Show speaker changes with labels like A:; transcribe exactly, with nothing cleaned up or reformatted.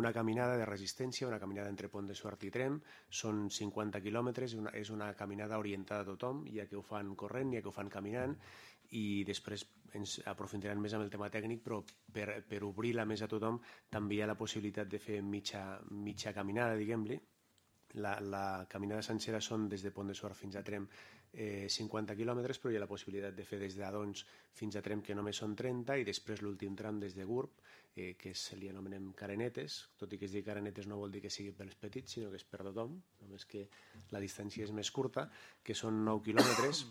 A: una caminada de resistència, una caminada entre Pont de Suert i Tremp, són cinquanta quilòmetres, una, és una caminada orientada a tothom, ja que ho fan corrent, ja que ho fan caminant, i després ens aprofundiran més amb el tema tècnic, però per, per obrir-la més a tothom també hi ha la possibilitat de fer mitja, mitja caminada, diguem-li. La, la caminada sencera són des de Pont de Suert fins a Tremp eh, cinquanta quilòmetres, però hi ha la possibilitat de fer des d'Adons fins a Tremp, que només són trenta, i després l'últim tram des de Gurb, eh, que se li anomenem carenetes, tot i que es digui carenetes no vol dir que sigui pels petits, sinó que és per tothom, només que la distància és més curta, que són nou quilòmetres,